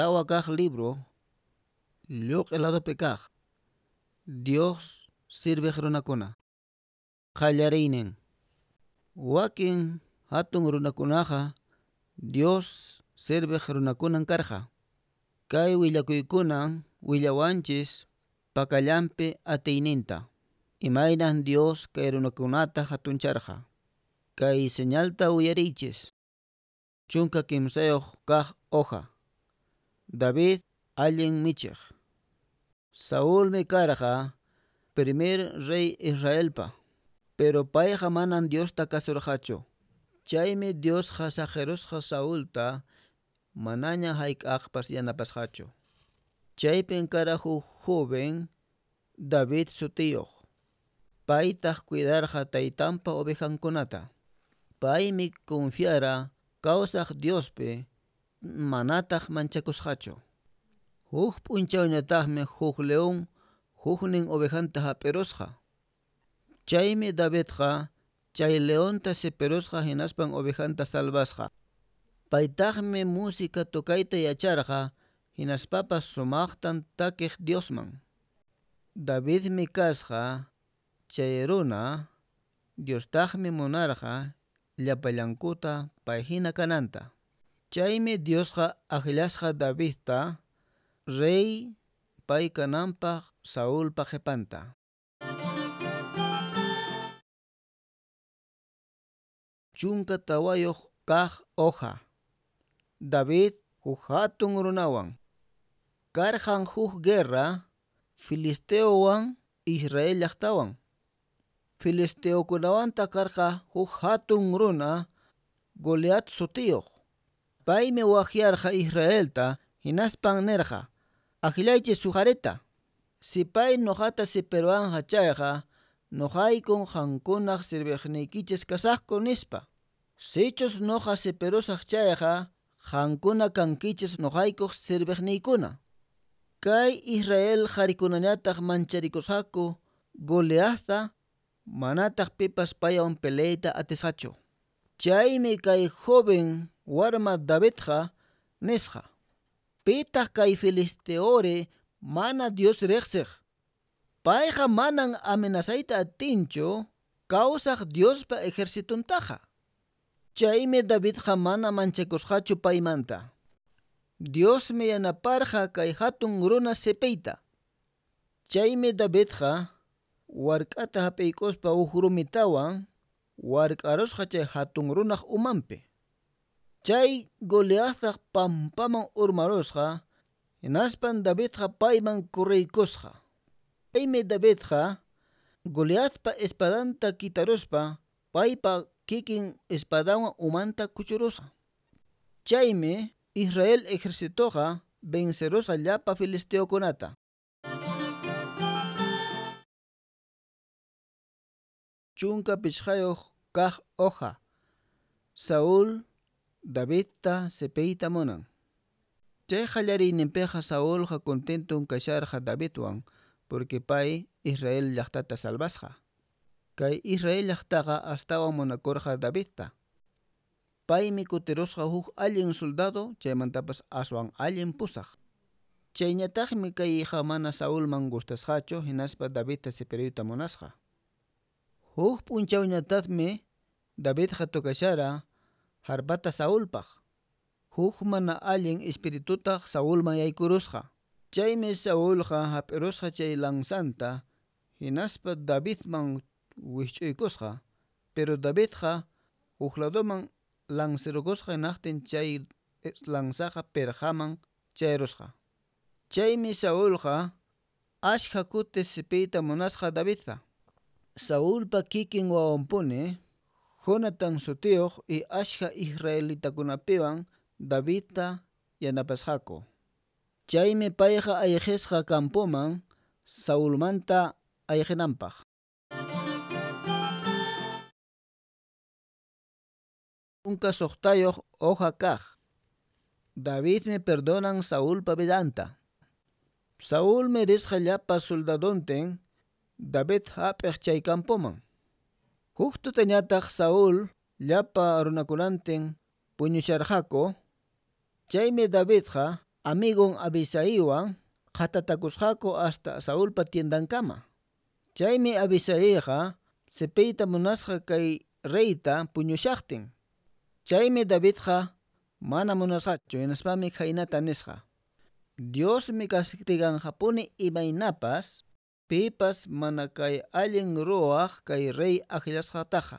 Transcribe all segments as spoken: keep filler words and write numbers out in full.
Tawa kaq libro lluq'i ladopi kaq Dios sirviq runakuna. Qallariynin. Wakin hatun runakunaqa Dios sirviq runakunan karqa. Kay willakuykunan willawanchis pakallanpi atiyninta. Imaynan Dios kay runakunata hatuncharqa. Kay señalta uyariychis. Chunka kimsayuq kaq hoja. David allin michiq. Saulmi karqa primer rey Israelpa, pero payqa manan Diosta kasurqachu. Chaymi Diosqa saqirusqa Saulta manaña hayk'aqpas yanapasqachu. Chaypin kara huk joven David sutiyuq. Paytaq cuidarqa taytanpa ovejankunata. Paymi confiara kawsaq Diospi, manataq manchakusqachu. Huk p'unchawñataqmi huk león huknin ovejanta hap'irusqa. Chaymi Davidqa chay leonta sipirusqa hinaspan ovejanta salvasqa. Paytaqmi música tocayta yacharqa hinaspapas sumaqtan takiq Diosman. Davidmi kasqa chay runa, Diostaqmi munarqa llapallankuta pay hina kananta. Chaymi Diosqa akllasqa Davidta rey pay kananpaq Saulpa qhipanta. Chunka tawayuq kaq hoja. David huk hatun runawan. Karqan huk guerra filisteowan Israel llaqtawan. Filisteokunawanta karqa huk hatun runa Goliat sutiyuq. Paymi waqyarqa Israelta hinaspan nirqa: Akllaychis huk qharita. Si pay nuqata sipiruwanqa chayqa, nuqaykun qamkunaq sirviqniykichis kasaqku nispa. Sichus nuqa sipirusaq chayqa, qamkuna kankichis nuqaykuq sirviqniykuna. Kay Israel qharikunañataq mancharikusqaku Goliatta, manataq pipas paywan peleayta atisqachu. Chaymi kay joven warma Davidqa nisqa: Pitaq kay filisteori mana Dios riqsiq? Payqa manan amenazayta atinchu kawsaq Diospa ejercitontaqa. Chaymi Davidqa mana manchakusqachu paymanta. Diosmi yanaparqa kay hatun runa sipiyta. Chaymi Davidqa wark'ata hap'iykuspa huk rumitawan wark'arusqa chay hatun runaq umanpi. Chay Goliattaq pampaman urmarusqa, hinaspan Davidqa payman kurriykusqa. Chaymi Davidqa Goliatpa espadanta kitaruspa paypa kikin espadanwan umanta kuchurusqa. Chaymi Israel ejercitoqa vencerusqa llapa filisteokunata. Chunka pichqayuq kaq hoja. Saúl Davidta sipiyta munan. Chay qallariyninpiqa Saulqa contenton kasharqa Davidwan, porque pay Israel llaqtata salvasqa. Kay Israel llaqtaqa astawan munakurqa Davidta. Paymi kutirusqa huk allin soldado, chaymantapas aswan allin pusaq. Chayñataqmi kayqa mana Saulman gustasqachu, hinaspa Davidta sipiruyta munasqa. Huk p'unchawñataqmi Davidqa tocashara harpata Saulpaq. Huk mana allin espiritutaq Saulman yaykurusqa. Chaymi Saulqa hap'irusqa chay lanzanta, hinaspa Davidman wikch'uykusqa, pero Davidqa huk ladoman lanzirukusqa hinaqtin chay lanzaqa pirqaman chayrusqa. Chaymi Saulqa ashkha kuti sipiyta munasqa Davidta. Saulpa kikin wawanpuni Jonathan sutiyuq y ashkha israelitakunapiwan Davidta yanapasqaku. Chaymi payqa ayqisqa campoman Saulmanta ayqinanpaq. Chunka suqtayuq hoja kaq. Davidmi perdonan Saulpa vidanta. Saulmi risqa llapa soldadontin David hap'iq chay campoman. Huk tutañataq Saúl llapa runakunantin puñusharqaku. Chaymi Davidqa amigon Abisaiwan qhatatakusqaku hasta Saulpa tiendankama. Chaymi Abisaiqa sipiyta munasqa kay reyta puñushaqtin. Chaymi Davidqa mana munasqachu, hinaspami khaynata nisqa: Diosmi castiganqapuni imaynapas pipas mana kay allin ruwaq kay rey akllasqataqa.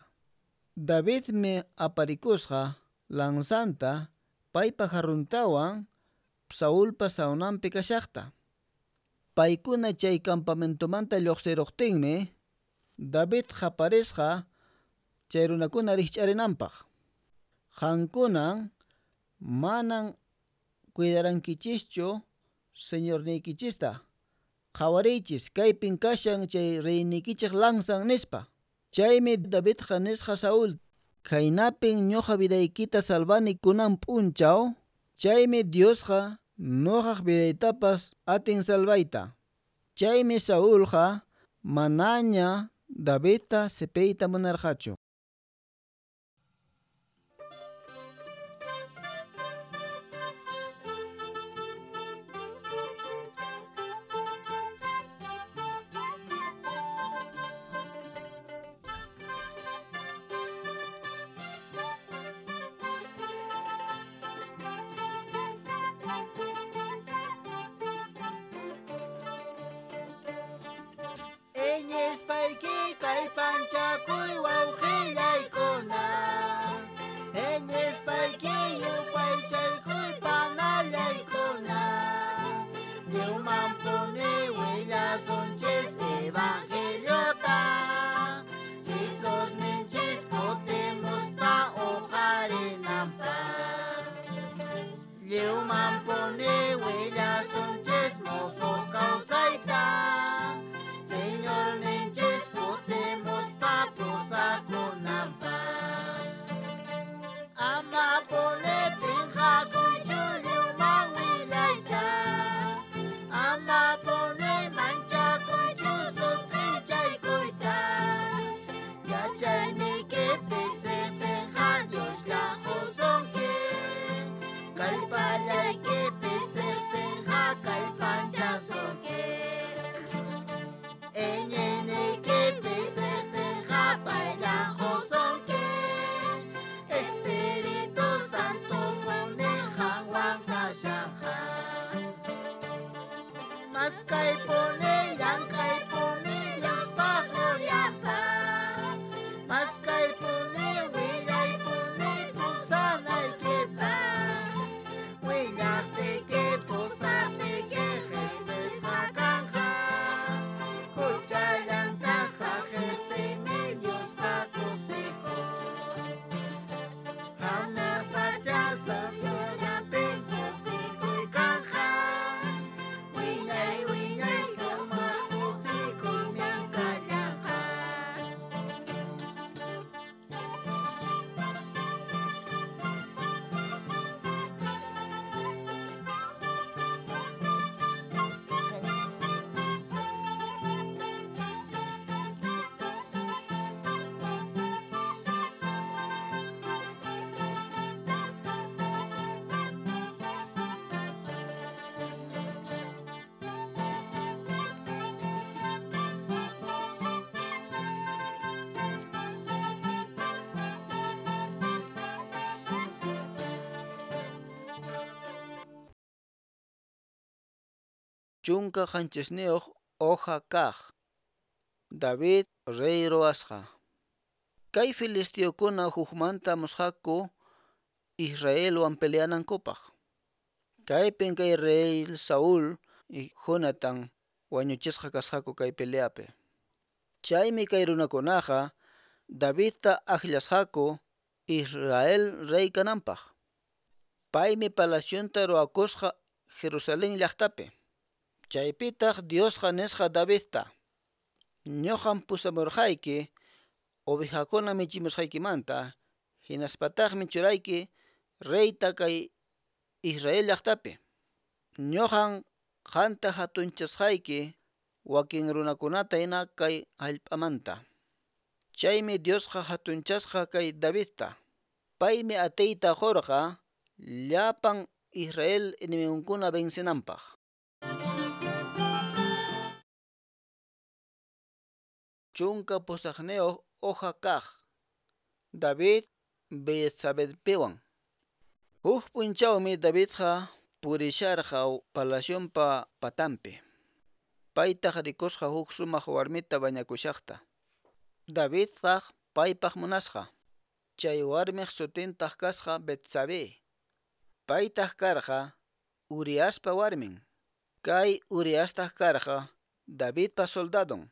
Davidmi aparikusqa lanzanta paypa jarruntawan Saulpa sawnanpi kashaqta. Paykuna chay campamentomanta lluqsiruqtinmi David qaparisqa chay runakuna rikch'arinanpaq. Qankunan manan cuidarankichischu señorniykichista. Qhawariychis, kaypin kashan chay reyniykichik lanzan nispa. Chaymi Davidqa nisqa Saúl: Khaynapin ñuqa vidaykita salvani kunan p'unchaw, chaymi Diosqa ñuqaq vidaytapas atin salvayta. Chaymi Saulqa manaña Davidta sipiyta munarqachu. Iñispayki kallpanchakuy wawqillaykuna, iñispayki yupaychaykuy panallaykuna, lliwmanpuni willasunchis evangeliota, Jesusninchis kutimuspa uqarinanpaq, lliwmanpuni willasunchis musuq kawsayta. Señorninchis kutimuspa pusakunanpaq. Amapuni pinqakuychu lliwman willayta, amapuni manchakuychu sut'ichaykuyta, yachayniyki pisiqtinqa Dioslla qusunki, kallpallayki pisiqtinqa kallpanchasunki. Iñiyniyki pisiqtinqa payllan qusunki, Espíritu Santopuni qanwan kashanqa. Maskaypuni llank'aypuni Diospaq glorianpaq, maskaypuni willaypuni pusanaykipaq, willaqtiyki pusaqtiyki qhispisqa kanqa, huchallanta saqiqtiymi Diosqa kusikun. Hanaq pacha sagrudapin kusikuy kanqa, wiñay wiñay sumaq kusikuymi kallanqa. Chunka qanchisniyuq hoja kaq. David rey ruwasqa. Kay filisteokuna hukmanta musqaku Israelwan peleanankupaq. Kaypin kay rey Saúl y Jonathan wañuchisqa kasqaku kay peleapi. Chaymi kay runakunaqa Davidta akllasqaku Israel rey kananpaq. Paymi palacionta ruwakusqa Jerusalén llaqtapi. Chaypitaq Diosqa nisqa Davidta: Ñuqam pusamurqayki ovejakuna michimusqaykimanta, hinaspataqmi churayki reyta kay Israel llaqtapi. Ñuqam qanta hatunchasqayki wakin runakunata hina kay hallp'amanta. Chaymi Diosqa hatunchasqa kay Davidta. Paymi atiyta qurqa llapan Israel enemigunkuna vencenanpaq. Chunka pusaqniyuq hoja kaq. David Betsabépiwan. Huk p'unchawmi Davidqa purisharqa palacionpa patanpi. Paytaq rikusqa huk sumaq warmita bañakushaqta. Davidtaq paypaq munasqa. Chay warmiq sutintaq kasqa Betsabé. Paytaq karqa Uriaspa warmin. Kay Uriastaq karqa Davidpa soldadon.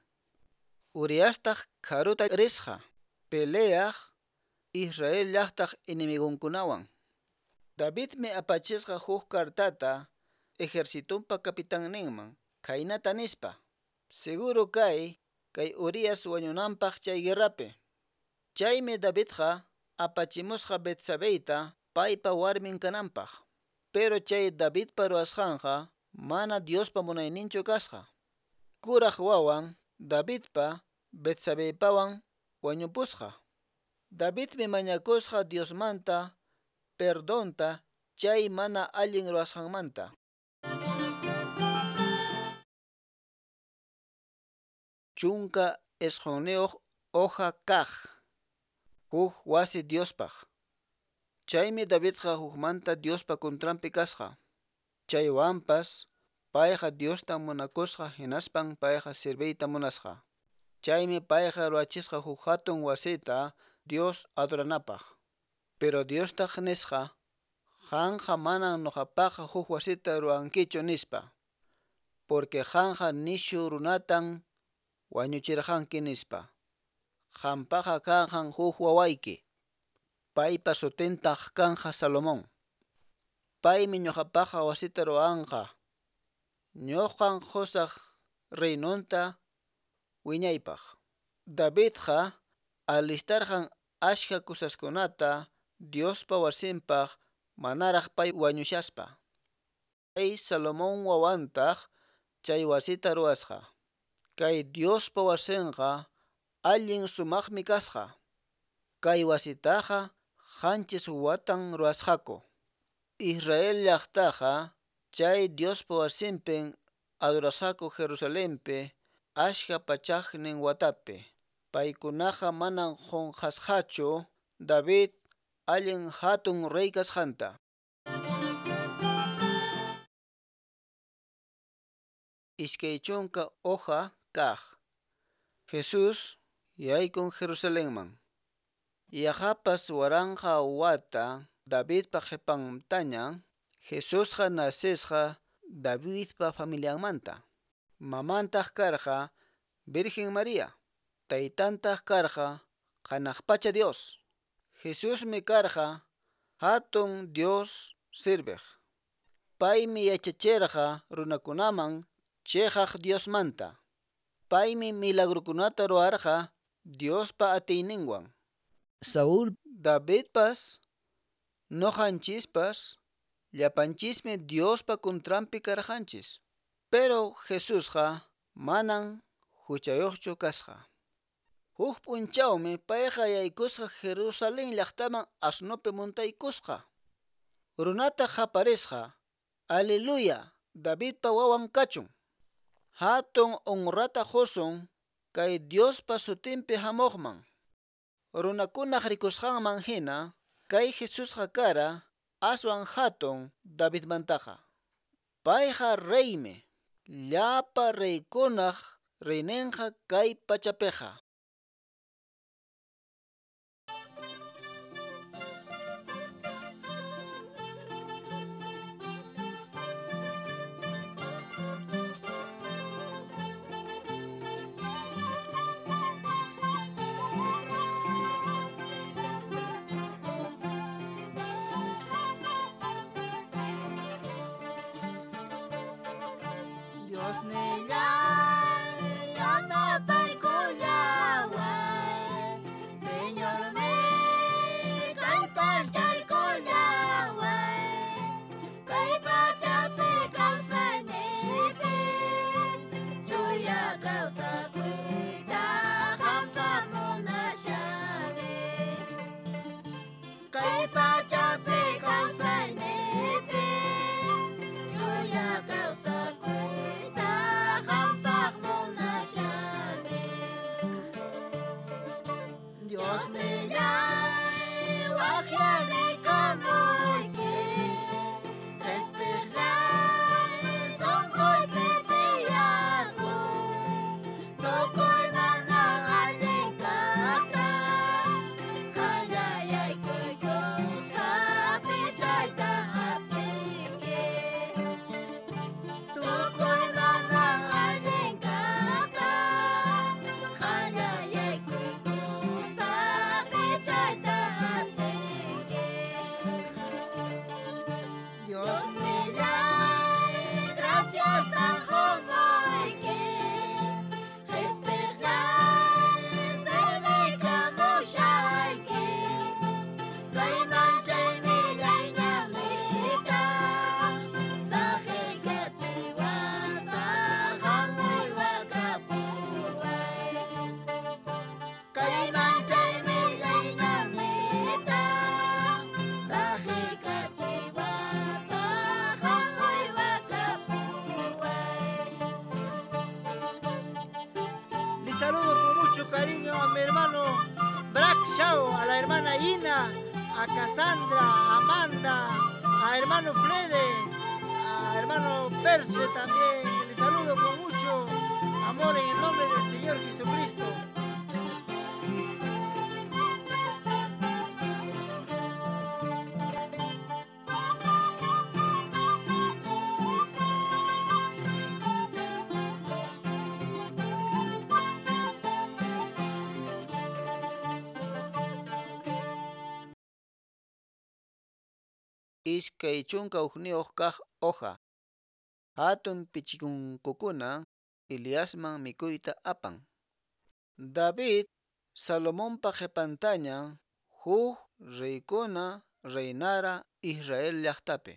Uriastaq karuta risqa peleaq Israel llaqtaq enemigonkunawan. Davidmi apachisqa huk kartata ejercitonpa capitanninman khaynata nispa: Seguro kay kay Urias wañunanpaq chay guerrapi. Chaymi Davidqa apachimusqa Betsabeyta paypa warmin kananpaq. Pero chay Davidpa ruwasqanqa mana Diospa munayninchu kasqa. Kuraq wawan Davidpa Betsabeypawan wañupusqa. Davidmi mañakusqa Diosmanta perdonta chay mana allin ruwasqanmanta. Chunka isqunniyuq hoja kaq. Huk wasi Diospaq. Chaymi Davidqa hukmanta Diospa contranpi kasqa. Chaywanpas payqa Diosta munakusqa hinaspan payqa serviyta munasqa. Chaymi payqa ruwachisqa huk hatun wasita Dios adoranapaq. Pero Diostaq nisqa: Qanqa manan nuqapaqqa huk wasita ruwankichu nispa. Porque qanqa nishu runatan wañuchirqanki nispa. Qampaqa kanqan huk wawayki. Paypa sutintaq kanqa Salomón. Paymi ñuqapaqqa wasita ruwanqa. Ñuqan qusaq reinonta wiñaypaq. Davidqa alistarqan ashka kusaskunata Diospa wasinpaq manaraq pay wañushaspa. Chay Salomón wawantaq chay wasita ruwasqa. Kay Diospa wasinqa allin sumaqmi kasqa. Kay wasitaqa qanchis watan ruwasqaku. Israel llaqtaqa chay Diospa wasinpin adorasqaku Jerusalenpi ashka pachaqnin watapi. Paykunaqa manan qunqasqachu David allin hatun rey kasqanta. Iskay chunka hoja kaq. Jesús yaykun Jerusalenman. Yaqapas waranqa wata Davidpa qhipantaña Jesusqa nacesqa Davidpa familianmanta. Mamantaq karqa Virgen María. Taytantaq karqa hanaq pacha Dios. Jesusmi karqa hatun Dios sirviq. Paymi yachachirqa runakunaman chiqaq Diosmanta. Paymi milagrukunata ruwarqa Diospa atiyninwan. Saúl, Davidpas, nuqanchispas, llapanchismi Diospa contranpi karqanchis. Pero Jesusqa manan huchayuqchu kasqa. Huk p'unchawmi payqa yaykusqa Jerusalén llaqtaman asnupi muntaykusqa. Runataq qaparisqa: Aleluya, Davidpa wawan kachun. Hatun honrata qusun kay Diospa sutinpi hamuqman. Runakunaq rikusqanman hina kay Jesusqa kara aswan hatun Davidmantaqa. Payqa reymi, llapa reykunaq reyninqa kay pachapiqa. Dios nillay, yanapaykullaway, Señor mi kallpachaykullaway, kay pachapi kawsayniypi, chuya kawsakuyta qampaq munashani. Kay pachapi kawsayniypi, Saludo con mucho cariño a mi hermano Brack Shaw, a la hermana Ina, a Cassandra, a Amanda, a hermano Flede, a hermano Perse también. Les saludo con mucho amor en el nombre del Señor Jesucristo. Iskay chunka hukniyuq kaq hoja. Hatun pichikunkukuna Eliasman mikuyta apan. David Salomonpa qhipantaña huk reykuna reinara Israel llaqtapi.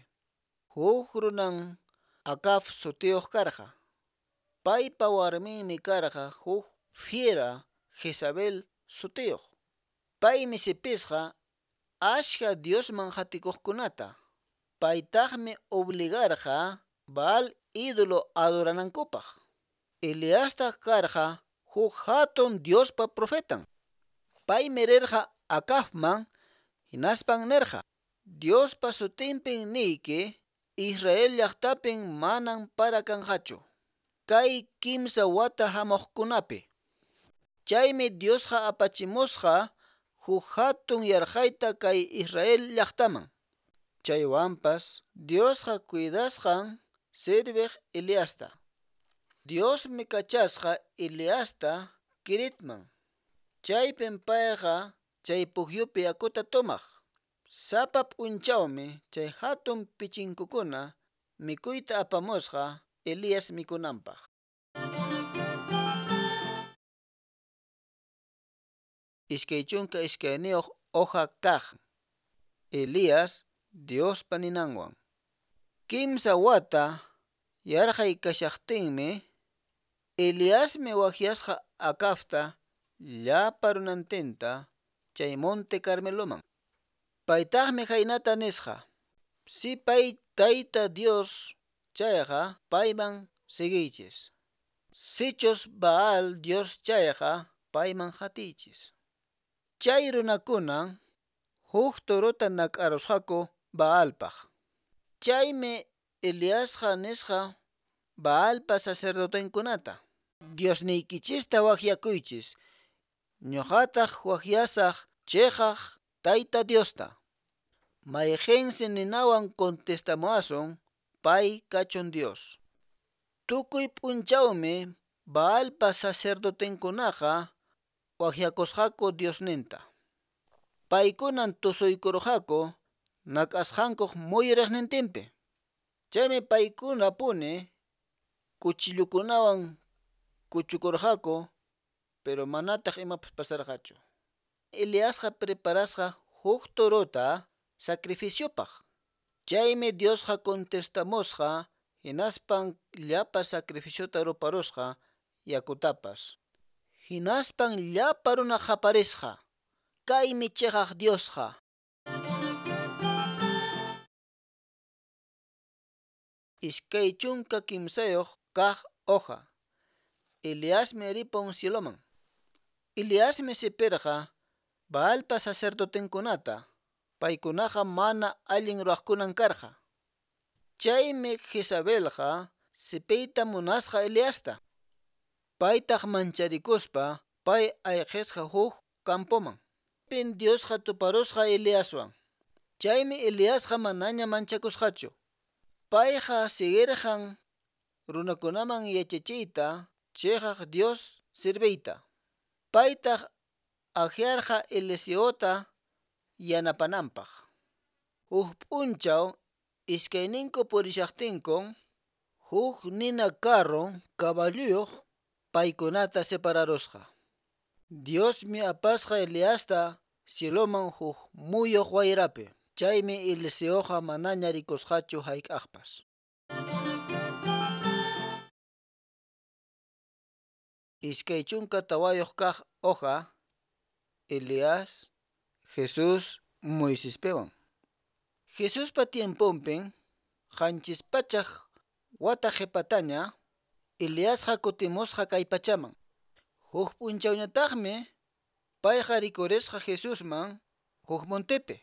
Huk runan Acab sutiyuq karqa. Paypa warminmi karqa huk fiera Jezabel sutiyuq. Paymi sipisqa ashka Diosman hatikuqkunata. Paytaqmi obligarqa Baal ídolo adoranankupaq. Eliastaq karqa huk hatun Diospa profetan. Paymi rirqa Acabman hinaspan nirqa: Diospa sutinpin niyki, Israel llaqtapin manan para kanqachu kay kimsa wata hamuqkunapi. Chaymi Diosqa apachimusqa huk hatun yarqayta kay Israel llaqtaman. Chaywanpas Diosqa cuidasqan sirviq Eliasta. Diosmi kachasqa Eliasta Kiritman. Chaypin payqa chay pukyupi yakuta tomaq. Sapa p'unchawmi chay hatun pichinkukuna mikuyta apamusqa Elías mikunanpaq. Iskay chunka iskayniyuq hoja kaq. Elías Diospa ninanwan. Kimsa wata yarqay kashaqtinmi Eliasmi waqyasqa Acabta llapa runantinta chay monte Carmeloman. Paytaqmi khaynata nisqa: Si pay Tayta Dios chayqa payman seguiychis. Sichus Baal Dios chayqa payman hatiychis. Chay runakuna huk torota nak'arusqaku Baalpaq. Chaymi Eliasqa nisqa Baalpa sacerdotenkunata: Diosniykichista waqyakuychis, ñuqataq waqyasaq chiqaq Tayta Diosta. Mayqinsi ninawan contestamuwasun, pay kachun Dios. Tukuy p'unchawmi Baalpa sacerdotenkunaqa waqyakusqaku Diosninta. Paykunan tusuykurqaku nak'asqankuq muyuriqnintinpi. Chaymi paykunapuni kuchillukunawan kuchukurqaku, pero manataq imapas pasarqachu. Eliasqa preparasqa huk torota sacrificiopaq. Chaymi Diosqa contestamusqa hinaspan llapa sacrificiota ruparusqa yakutapas. Hinaspan llapa runa qaparisqa: Kaymi chiqaq Diosqa. Iskay chunka kimsayuq kaq hoja. Eliasmi ripun cieloman. Eliasmi sipirqa Baalpa sacerdotenkunata. Paykunaqa mana allin ruwaqkunan karqa. Chaymi Jezabelqa sipiyta munasqa Eliasta. Paytaq mancharikuspa pay ayqisqa huk campoman. Pin Diosqa tuparusqa Eliaswan. Chaymi Eliasqa manaña manchakusqachu. Payqa siguirqan runakunaman yachachiyta chiqaq Dios sirviyta. Paytaq akyarqa Eliseota yanapananpaq. Huk p'unchaw iskayninku purishaqtinkun huk nina carro caballuyuq paykunata separarusqa. Diosmi apasqa Eliasta cieloman huk muyuq wayrapi. Chaymi Eliseoqa manaña rikusqachu hayk'aqpas. Iskay chunka tawayuq kaq hoja. Elías, Jesús, Moisespiwan. Jesuspa tiemponpin qanchis pachak wata qhipataña Eliasqa kutimusqa kay pachaman. Huk p'unchawñataqmi payqa rikurisqa Jesusman huk montepi.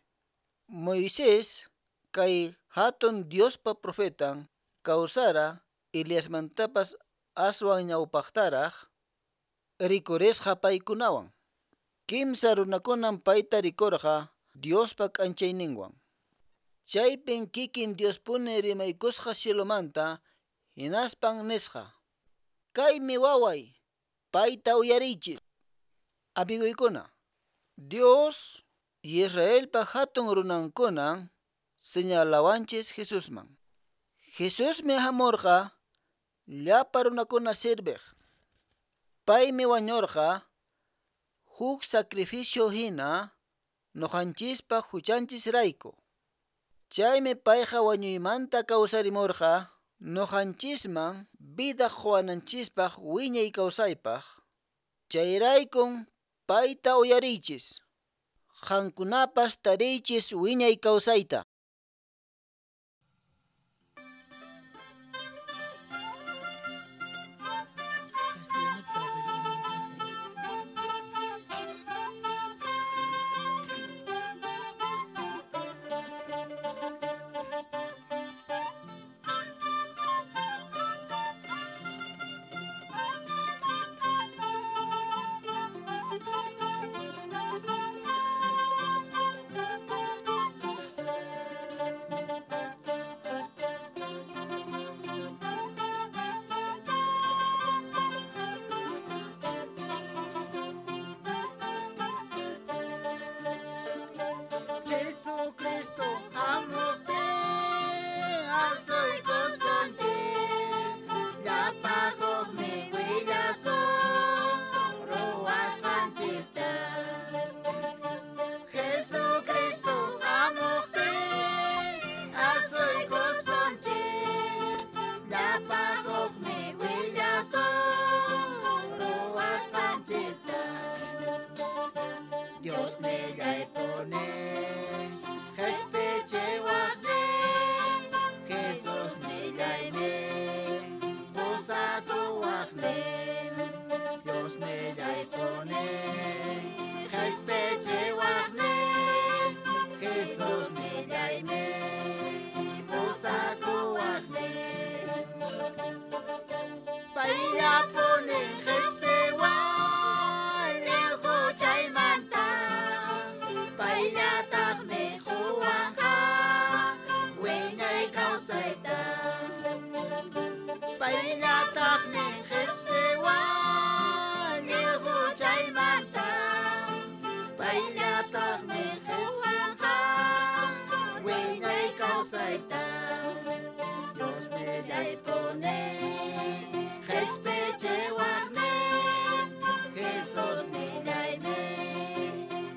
Moisés kay hatun Diospa profetan kawsara Eliasmantapas aswan ñawpaqtaraq rikurisqa paykunawan. Kimsa runakunam payta rikurqa Diospa k'anchayninwan. Chaypin kikin Diospuni rimaykusqa cielomanta, hinaspan nisqa: Kaymi waway, payta uyariychis. Amiguykuna, Dios y Israelpa hatun runankunan señalawanchis Jesusman. Jesusmi hamurqa llapa runakuna sirviq. Paymi wañurqa huk sacrificio hina ñuqanchispaq huchanchisrayku. Chaymi payqa wañuymanta kawsarimurqa ñuqanchisman vida quwananchispaq wiñay kawsaypaq. Chayraykun payta uyariychis. Qamkunapas tariychis wiñay kawsayta. Jesucristo hamuqtin asuykusunchik, llapa hukmi willasun ruwasqanchista. Jesucristo hamuqtin asuykusunchik, llapa hukmi willasun ruwasqanchista. Dios nillaypuni qhispichiwaqnin, Jesus nillaymi pusakuwaqnin. Dios nillaypuni qhispichiwaqnin, Jesus nillaymi pusakuwaqnin. Payllapuni qhispiwan lliw huchaymanta, payllataqmi quwanqa wiñay kawsayta. Payllataqmi qhispiwan lliw huchaymanta, payllataqmi quwanqa wiñay kawsayta. Dios nillaypuni qhispichiwaqnin, Jesus nillaymi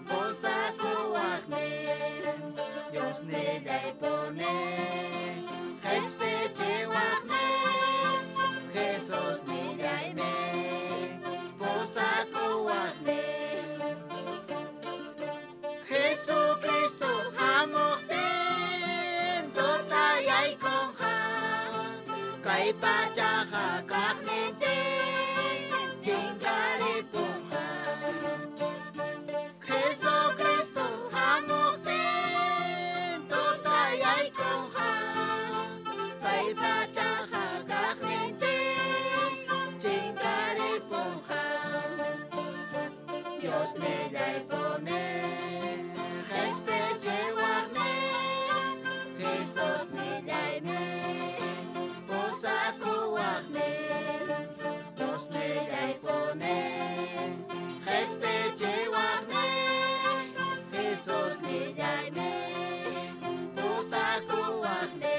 pusakuwaqnin. Dios nillaypuni qhispichiwaqnin, Jesus nillaymi pusakuwaqnin. Jesucristo hamuqtin tutayaykunqa, kay pachaqa kaqnintin chinkaripunqa. Jesucristo hamuqtin tutayaykunqa, kay pachaqa kaqnintin chinkaripunqa. Dios nillaypuni qhispichiwaqnin, Jesus nillaymi pusakuwaqnin. Dios nillaypuni qhispichiwaqnin, Jesus nillaymi pusakuwaqnin.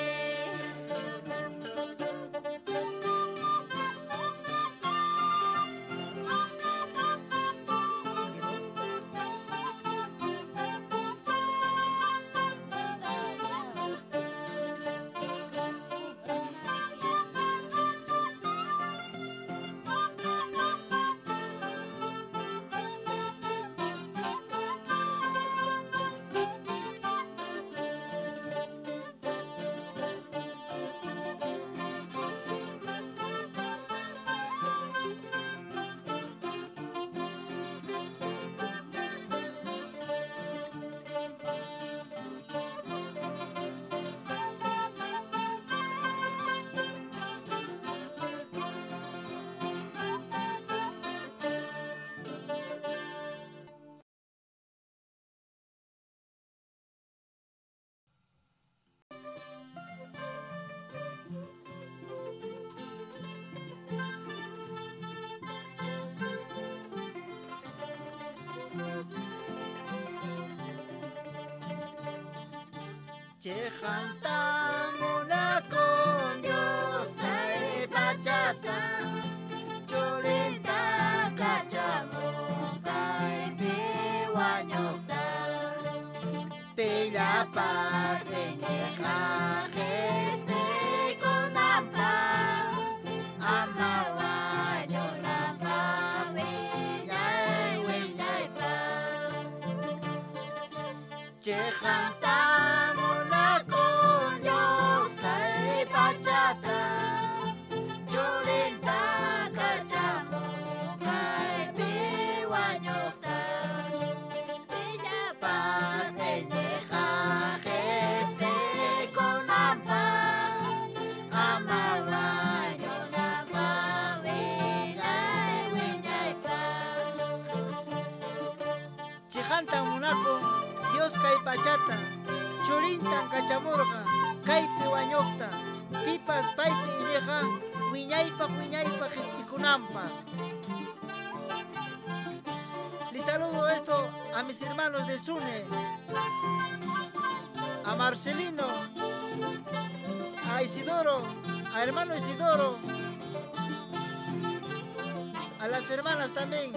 Chiqanta munakun Dios kay pachata, churinta kachamun kaypi wañuqta. Pillapas iñiqqa qispikunanpaq, ama wañunanpaq wiñay wiñaypaq. Chiqanta munakun Dios kay pachata, churinta kachamun kaypi wañuqta. Pillapas iñiqqa qispikunanpaq, ama wañunanpaq wiñay wiñaypaq. Chiqantan munakun Dios kay pachata, churintan kachamurqa kaypi wañuqta, pipas paypi iñiqqa wiñaypaq wiñaypaq qispikunanpaq. Les saludo esto a mis hermanos de Sune, a Marcelino, a Isidoro, a hermano Isidoro, a las hermanas también.